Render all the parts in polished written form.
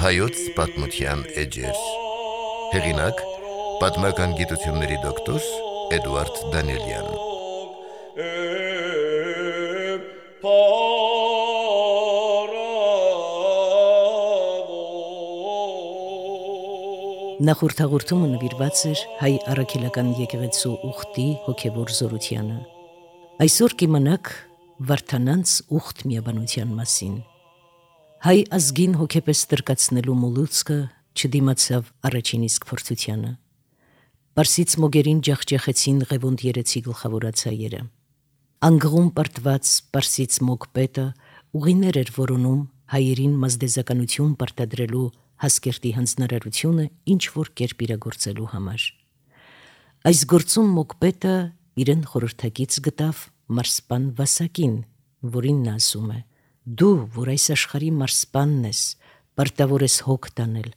Հայոց պատմության էջեր։ Հեղինակ՝ պատմական գիտությունների դոկտոր Էդուարդ Դանիելյան։ Նախորդ հաղորդումը նվիրված էր հայ առաքելական եկեղեցու ուխտի հոգևոր զորությանը։ Այսօր կիմանաք Վարդանանց ուխտ միաբանության մասին։ Հայ ազգին հոգեպես տրկացնելու մոլուցքը չդիմացավ առաջին իսկ փորձությանը։ Պարսից մոգերին ջախջախեցին Ղևոնդ երեցի գլխավորացայերը։ Անգղում պարտված պարսից մոգ պետը ուղիներ էր որոնում հայերին մազդեզականություն պարտադրելու Հասկերտի հանձնարարությունը ինչ որ կերպ իրագործելու համար։ Այս գործում մոգ պետը իրեն խորհրդակից գտավ մարսպան Վասակին, որին նա ասում է. «Դու, որ այս աշխարհի մարսպանն ես, պարտավոր ես հոգ տանել,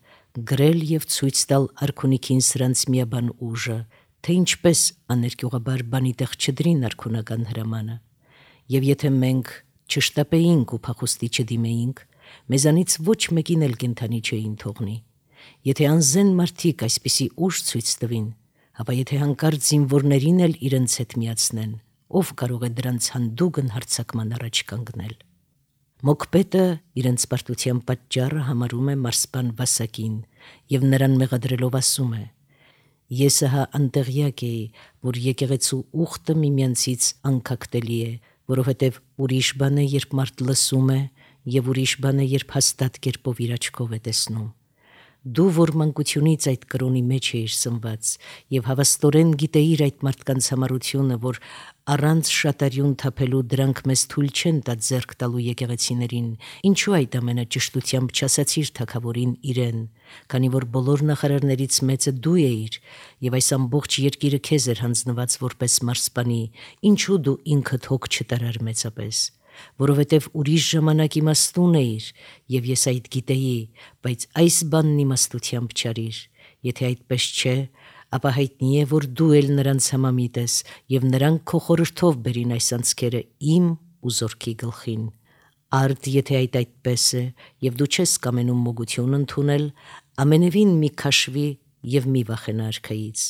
գրել եւ ցույց տալ արքունիքին սրանց միաբան ուժը, թե ինչպես աներկյուղաբար բանի տեղ չդրին արքունական հրամանը։ Եվ եթե մենք չշտապեինք ու փախուստի չդիմեինք, մեզանից ոչ մեկին էլ կենթանի չէին թողնի։ Եթե անզեն մարդիկ այսպիսի ուժ ցույց տվին, ապա եթե հանկարծ զինվորներին էլ իրենց հետ միացնեն, ով կարող է դրանց հանդուգն հարձակման առաջ կանգնել»։ Մոգպետը իրենց պարտության պատճառը համարում է մարսպան Վասակին եւ նրան մեղադրելով ասում է. «Ես ահա անտեղյակ էի, որ եկեղեցու ուխտը միմյանցից անկակտելի է, որովհետև ուրիշ բան է, երբ մարդ լսում է, եւ ուրիշ բան է, երբ հաստատ կերպով իր աչքով է տեսնում։ Դու, որ մանկությունից այդ կրոնի մեջ էիր սնված եւ հավաստորեն գիտեիր այդ մարդկանց համառությունը, որ առանց շատարյուն թափելու դրանք մեզ թույլ չեն տա ձեռք տալու եկեղեցիներին, ինչու այդ ամենը ճշտությամբ չասացիր թագավորին իրեն, քանի որ բոլոր նախարարներից մեծը դու էիր եւ այս ամբողջ երկիրը քեզ էր հանձնված որպես մարսպանի, ինչու դու ինքդ հոգ չտարար մեծապես։ Որովհետև ուրիշ ժամանակ իմաստուն էիր, եւ ես այդ գիտեի, բայց այս բանն իմաստությամբ չարիր։ Եթե այդպես չէ, ապա հայտնի է, որ դու էլ նրանց համամիտ ես, եւ նրանք քո խորհրդով բերին այս անցքերը իմ ու զորքի գլխին։ Արդ եթե այդպես է, եւ դու չես կամենում մոգություն ընդունել, ամենևին մի քաշվի եւ մի վախենա արքայից։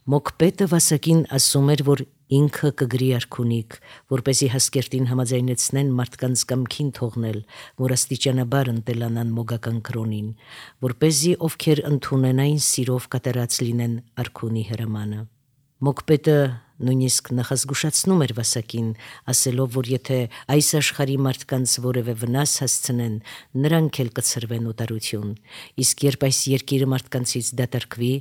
Մոգպետը Վասակին ասում էր, որ ինքը կգրի արքունիք, որպեսի Հասկերտին համաձայնեցնեն մարդկանց կամքին թողնել, որ աստիճանաբար ընտելանան մոգական կրոնին, որպեսզի ովքեր ընդունեն այն սիրով կատարած լինեն արքունի հրամանը։ Մոգպետը նույնիսկ նախազգուշացնում էր Վասակին, ասելով, որ եթե այս աշխարհի մարդկանց որևէ վնաս հասցնեն, նրանք էլ կցրվեն օտարություն, իսկ երբ այս երկիրը մարդկանցից դատարկվի,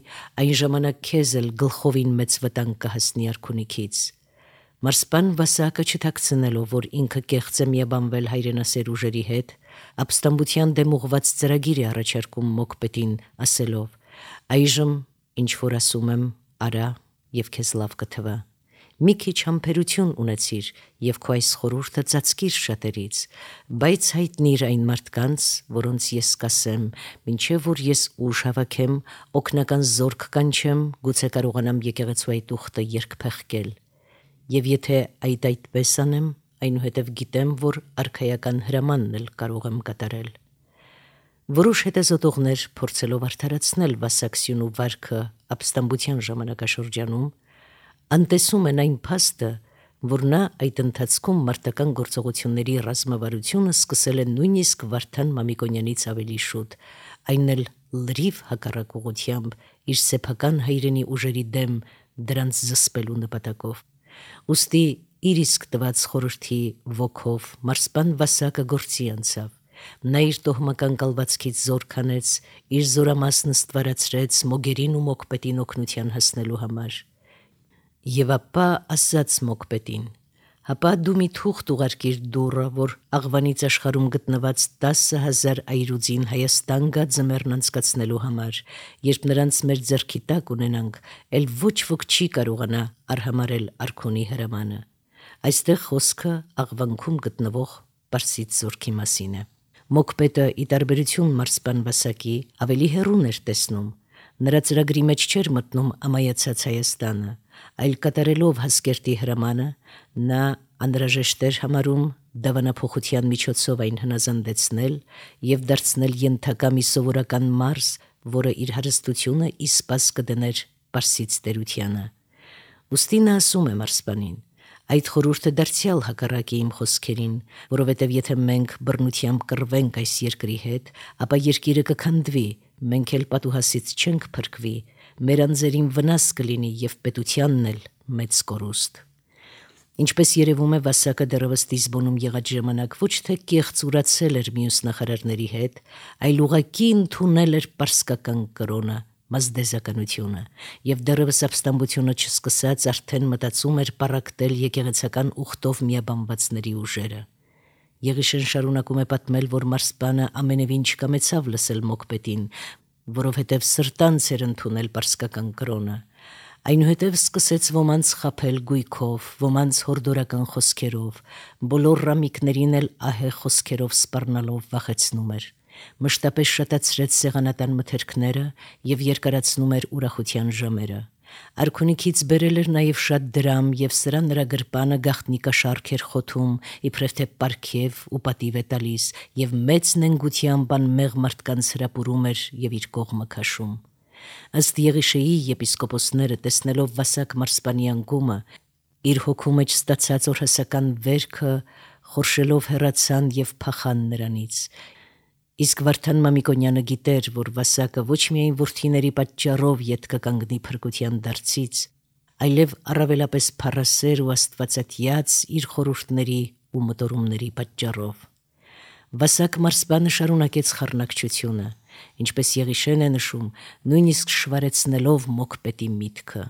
այն ժամանակ քեզ էլ գլխովին մեծ վտանգ կհասնի արքունիքից։ Մարսպան Վասակը չթաքցնելով, որ ինքը կեղծ է միաբանվել հայրենասեր ուժերի հետ, ապստամբության դեմ ուղղված ծրագիր է առաջարկում Մոգպետին, ասելով. «Այժմ, ինչ որ ասում եմ, արա եւ քեզ լավ կթվա։ Մի քիչ համբերություն ունեցիր եւ քո այս խորհուրդը ծածկիր շատերից, բայց հայտնիր այն մարդկանց, որոնց ես կասեմ, մինչեւ որ ես ուժ հավաքեմ, օգնական զորք կանչեմ, գուցե կարողանամ եկեղեցու այդ ուխտը երկփեղկել։ Եվ եթե այդպես անեմ, այնուհետև գիտեմ, որ արքայական հրամանն էլ կարող եմ կատարել»։ Որոշ հետազոտողներ փորձելով արդարացնել Վասակսյունու վարքը ապստամբության ժամանակաշրջանում, անտեսում են այն փաստը, որ նա այդ ընթացքում մարտական գործողությունների ռազմավարությունը սկսել է նույնիսկ Վարդան Մամիկոնյանից ավելի շուտ, այն էլ լրիվ հակառակ ուղղությամբ իր սեփական հայրենի ուժերի դեմ դրանց զսպելու նպատակով։ Ուստի իր իսկ տված խորհրդի ոգով մարսպան Վասակը գործի անցավ։ Նա իր տոհմական կալվածքից զոր քանեց, իր զորամասն ստվարացրեց մոգերին ու Մոգպետին օգնության հասնելու համար։ Եվ ապա ասաց Մոգպետին. «Հապա դու մի թուղթ ուղարկիր դուռը, որ աղվանից աշխարհում գտնված 10,000 այրուձին Հայաստան գա ձմեռն անցկացնելու համար, երբ նրանց մեր ձեռքի տակ ունենանք, էլ ոչ ոք չի կարողանա արհամարել արքունի հրամանը»։ Այստեղ խոսքը աղվանքում գտնվող Պարսից զորքի մասին է։ Մոգպետը, ի տարբերություն մարսպան Վասակի, ավելի հեռուն էր տեսնում։ Նրա ծրագրի մեջ չէր մտնում ամայացած Հայաստանը, այլ կատարելով Հասկերտի հրամանը, նա Անհրաժեշտ էր համարում դավանափոխության միջոցով այն հնազանդեցնել եւ դարձնել ենթակա մի սովորական մարզ, որը իր հարստությունը իսպաս կդներ Պարսից տերությանը։ Ուստի նա ասում է մարսպանին. այդ խորհուրդը դարձյալ հակառակ է իմ խոսքերին, որովհետև եթե մենք բռնությամբ կռվենք այս երկրի հետ, ապա երկիրը կքանդվի, մենք էլ պատուհասից չենք փրկվի, մեր անձերին վնաս կլինի եւ պետությանն էլ մեծ կորուստ։ Ինչպես երևում է, Վասակը դեռևս Լիզբոնում եղած ժամանակ ոչ թե կեղծ ուրացել էր մյուս նախարարների հետ, այլ ուղղակի ընդունել էր պարսկական կրոնը, մազդեզականությունը, եւ դեռևս ապստամբությունը չսկսած արդեն մտածում էր պառակտել եկեղեցական ուխտով միաբանվածների ուժերը։ Եղիշեն շարունակում է պատմել, որ մարսպանը ամենևին չկամեցավ լսել մոկպետին, որովհետև սրտանց էր ընդունել պարսկական կրոնը։ Այնուհետև սկսեց ոմանց խաբել գույքով, ոմանց հորդորական խոսքերով, բոլոր ռամիկներին էլ ահեղ խոսքերով սպառնալով վախեցնում էր։ Մշտապես շատացրեց սեղանատան մթերքները եւ երկարացնում էր ուրախության ժամերը։ Արքունիքից բերել էր նաև շատ դրամ եւ սրա նրա գրպանը գաղտնիքաշարք էր խոթում, իբրև թե պարգև ու պատիվ է տալիս եւ մեծ նենգությամբ անմեղ մարդկանց հրապուրում էր եւ իր կողմը քաշում։ Ըստ Եղիշեի եպիսկոպոսները տեսնելով Վասակ մարսպանի անկումը, իր հոգու մեջ ստացած օրհասական վերքը խորշելով հեռացան եւ փախան նրանից։ Իսկ Վարդան Մամիկոնյանը գիտեր, որ Վասակը ոչ միայն որդիների պատճառով ետ կկանգնի փրկության դարձից, այլև առավելապես փառասեր ու աստվածատյաց իր խորհուրդների ու մտորումների պատճառով։ Վասակ մարսպանը շարունակեց խառնակչությունը, ինչպես Եղիշեն է նշում, նույնիսկ շվարեցնելով մոկպետի միտքը։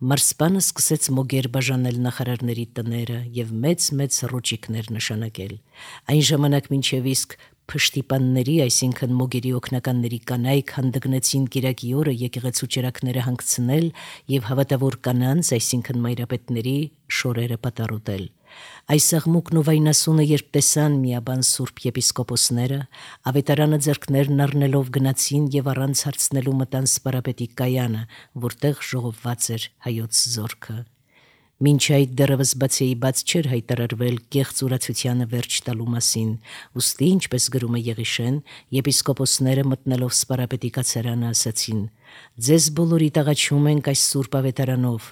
Մարսպանը սկսեց մոգեր բաժանել նախարարների տները եւ մեծ ռոճիկներ նշանակել։ Այն ժամանակ մինչև իսկ փշտիպանների, այսինքն մոգերի օգնականների կանայք հանդգնեցին Կիրակի օրը եկեղեցու ճրակները հանգցնել եւ հավատավոր կանանց, այսինքն մայրապետների շորերը պատառուտել։ Այս աղմուկն ու վայնասունը երբ տեսան միաբան սուրբ եպիսկոպոսները, ավետարանը ձեռքներն առնելով գնացին եւ առանց հարցնելու մտան սպարապետի կայանը, որտեղ ժողովված էր հայոց զորքը։ Մինչ այդ դեռևս բացեի բաց չէր հայտարարվել կեղծ ուրացությանը վերջ տալու մասին, ուստի, ինչպես գրում է Եղիշեն, եպիսկոպոսները մտնելով սպարապետի կացարանը ասացին. «Ձեզ բոլորիդ աղաչում ենք այս սուրբ ավետարանով,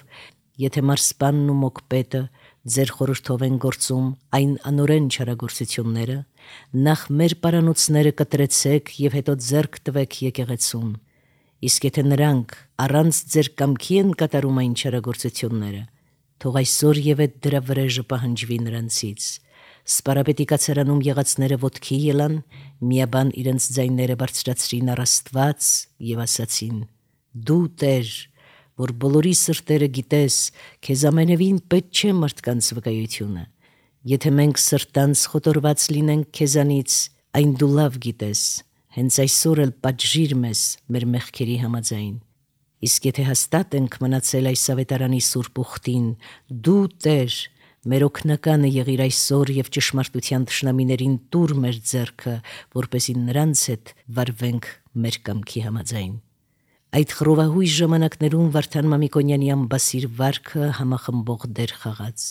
եթե մարսպանն ու մոկպետը ձեր խորհրդով են գործում այն անօրեն չարագործությունները, նախ մեր պարանոցները կտրեցեք եւ հետո ձեռք տվեք եկեղեցուն, իսկ եթե նրանք առանց ձեր կամքի են կատարում այն չարագործությունները, թող այսօր եւ այդ դրա վրեժը պահանջվի նրանցից»։ Սպարապետի կացարանում եղածները ոտքի ելան, միաբան իրենց ձայները բարձրացրին առ Աստված եւ ասացին. «Դու Տեր, որ բոլորի սրտերը գիտես, քեզ ամենևին պետք չէ մարդկանց վկայությունը։ Եթե մենք սրտանց խոտորված լինենք քեզանից, այն դու լավ գիտես, հենց այսօր էլ պատժիր մեզ մեր մեղքերի համաձայն։ Իսկ եթե հաստատ ենք մնացել այս ավետարանի սուրբ ուխտին, դու Տեր, մեր օգնականը եղիր այսօր եւ ճշմարտության թշնամիներին տուր մեր ձեռքը, որպեսզի նրանց հետ վարվենք մեր կամքի համաձայն»։ Այդ խռովահույժ ժամանակներում Վարդան Մամիկոնյանի ամբասիր վարքը համախմբող դեր խաղաց։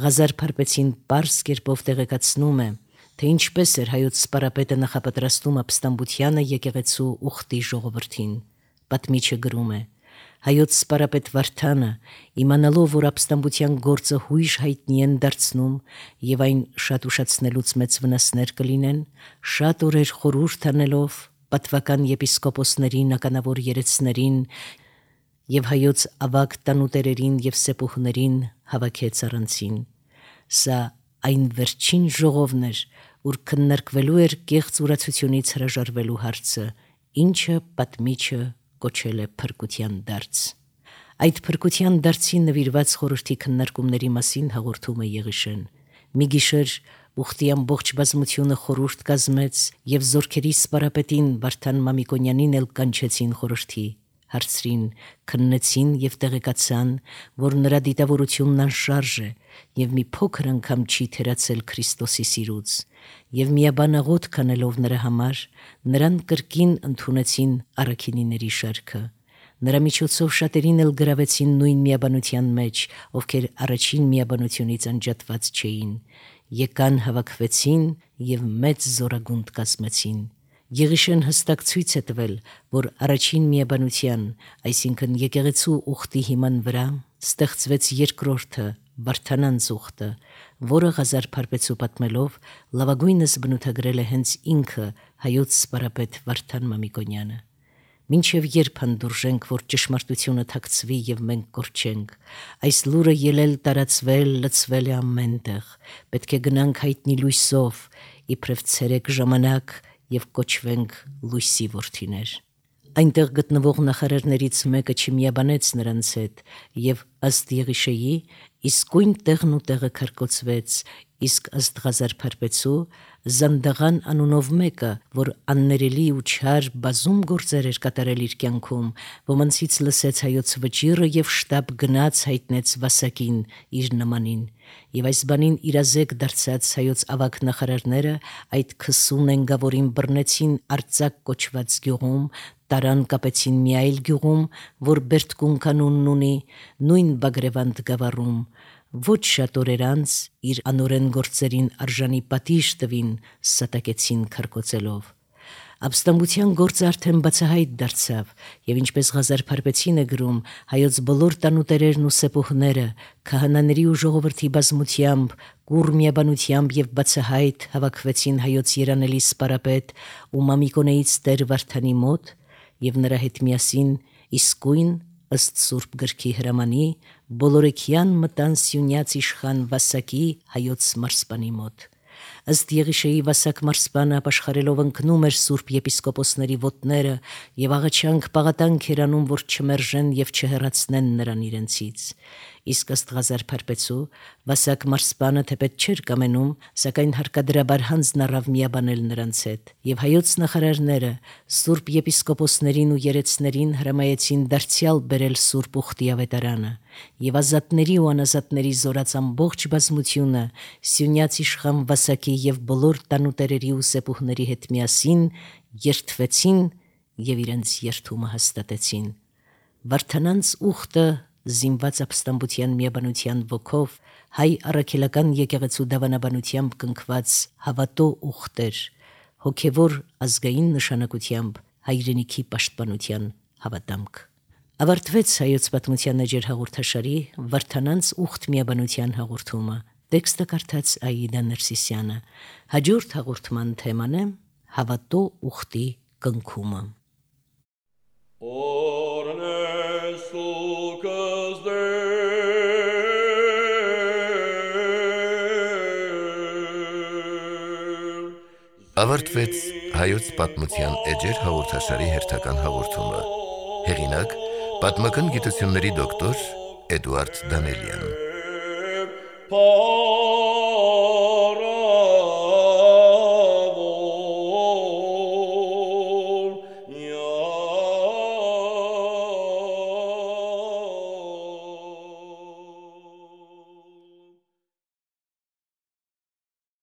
Ղազար Փարպեցին պարզ կերպով տեղեկացնում է, թե ինչպես էր հայոց սպարապետը նախապատրաստում ապստամբությանը եկեղեցու ուխտի ժողովրդին։ Պատմիչը գրում է. հայոց սպարապետ Վարդանը, իմանալով, որ ապստամբության գործը հույժ հայտնի են դարձնում եւ այն շատ ուշացնելուց մեծ վնասներ կլինեն, շատ օրեր խորհուրդ անելով պատվական եպիսկոպոսներին, ականավոր երեցներին եւ հայոց ավագ տանուտերերին եւ սեպուհներին հավաքեց առանցին։ Սա այն վերջին ժողովն էր, ուր քննարկվելու էր կեղծ ուրացությունից հրաժարվելու հարցը, ինչը պատմիչը կոչել է փրկության դարձ։ Այդ փրկության դարձին նվիրված խորհրդի քննարկումների մասին հաղորդում է Եղիշեն։ Մի գիշեր ուխտի ամբողջ բազմությունը խորհուրդ կազմեց եւ զորքերի սպարապետին Վարդան Մամիկոնյանին էլ կանչեցին խորհրդի, հարցրին, քննեցին եւ տեղեկացան, որ նրա դիտավորությունն անշարժ է եւ մի փոքր անգամ չի թերացել Քրիստոսի սիրուց, եւ միաբան աղոթ կանելով նրա համար, նրան կրկին ընդունեցին առաքինիների շարքը։ Նրա միջոցով շատերին էլ գրավեցին նույն միաբանության մեջ, ովքեր առաջին միաբանությունից անջատված չէին, եկան հավաքվեցին և մեծ զորագունդ կազմեցին։ Եղիշեն հստակ ցույց է տվել, որ առաջին միաբանության, այսինքն եկեղեցու ուխտի հիման վրա ստեղծվեց երկրորդը, Վարդանանց ուխտը, որը Ղազար Փարպեցու պատմելով լավագույնս բնութագրել է հենց ինքը հայոց սպարապետ Վարդան Մամիկոնյանը։ Մինչև երբ հանդուրժենք, որ ճշմարտությունը թաքցվի և մենք կորչենք, այս լուրը ելել տարածվել, լցվել է ամենտեղ, պետք է գնանք հայտնի լույսով, իբրև ցերեկ ժամանակ և կոչվենք լույսի որդիներ։ Այնտեղ գտնվող նախարարներից մեկը չմիաբանեց նրանց հետ և ըստ Եղիշեի իսկույն տեղն ու տեղը քարկոծվեց, իսկ ըստ Ղազար Փարպեցու Զանդաղան անունով մեկը, որ աններելի ու չար բազում գործեր էր կատարել իր կյանքում, ոմանցից լսեց հայոց վճիռը և շտապ գնաց հայտնեց Վասակին իր նմանին, և այս բանին իրազեկ դարձած հայոց ավագ նախարարները այդ քսուն էնգավորին բռնեցին Արծակ կոչված գյուղում, տարան կապեցին մի այլ գյուղում, որ Բերդկունք անունն ունի, նույն Բագրևանդ գավառում, ոչ շատ օրեր անց իր անօրեն գործերին արժանի պատիժ տվին, սատակեցին քարկոծելով։ Ապստամբության գործը արդեն բացահայտ դարձավ, և ինչպես Ղազար Փարպեցին է գրում, հայոց բոլոր տանուտերերն ու սեպուհները քահանաների ու ժողովրդի բազմությամբ, կուռ միաբանությամբ և բացահայտ հավաքվեցին հայոց երանելի սպարապետ ու Մամիկոնեից Տեր Վարդանի մոտ և նրա հետ միասին իսկույն ըստ Սուրբ գրքի հրամանի բոլորեքյան մտան Սյունյաց իշխան Վասակի հայոց մարզպանի մոտ։ Ըստ Եղիշեի Վասակ մարզպանը ապաշխարելով ընկնում էր սուրբ եպիսկոպոսների ոտները և աղաչանք պաղատանք էր անում, որ չմերժեն և չհեռացնեն նրան իրենցից։ Իսկ ըստ Ղազար Փարպեցու Վասակ մարզպանը թեպետ չէր կամենում, սակայն հարկադրաբար հանձն առավ միաբանել նրանց հետ, և հայոց նախարարները սուրբ եպիսկոպոսներին ու երեցներին հրամայեցին դարձյալ բերել սուրբ ուխտի ավետարանը, և ազատների ու անազատների զորած ամբողջ բազմությունը Սյունյաց իշխան Վասակի և բոլոր տանուտերերի ու սեպուհների հետ միասին երդվեցին և իրենց երդումը հաստատեցին։ Վարդանանց ուխտը զինված ապստամբության միաբանության ոգով հայ առաքելական եկեղեցու դավանաբանությամբ կնքված հավատո ուխտ էր, հոգևոր ազգային նշանակությամբ հայրենիքի պաշտպանության հավատամք։ Ավարտվեց հայոց պատմության էջեր հաղորդաշարի Վարդանանց ուխտ միաբանության հաղորդումը։ Տեքստը կարդաց Աիդա Ներսիսյանը։ Հաջորդ հաղորդման թեման է հավատո ուխտի կնքումը։ Ավարտվեց հայոց պատմության էջեր հաղորդաշարի հերթական հաղորդումը։ Հեղինակ՝ պատմական գիտությունների դոկտոր Էդուարդ Դանելյան։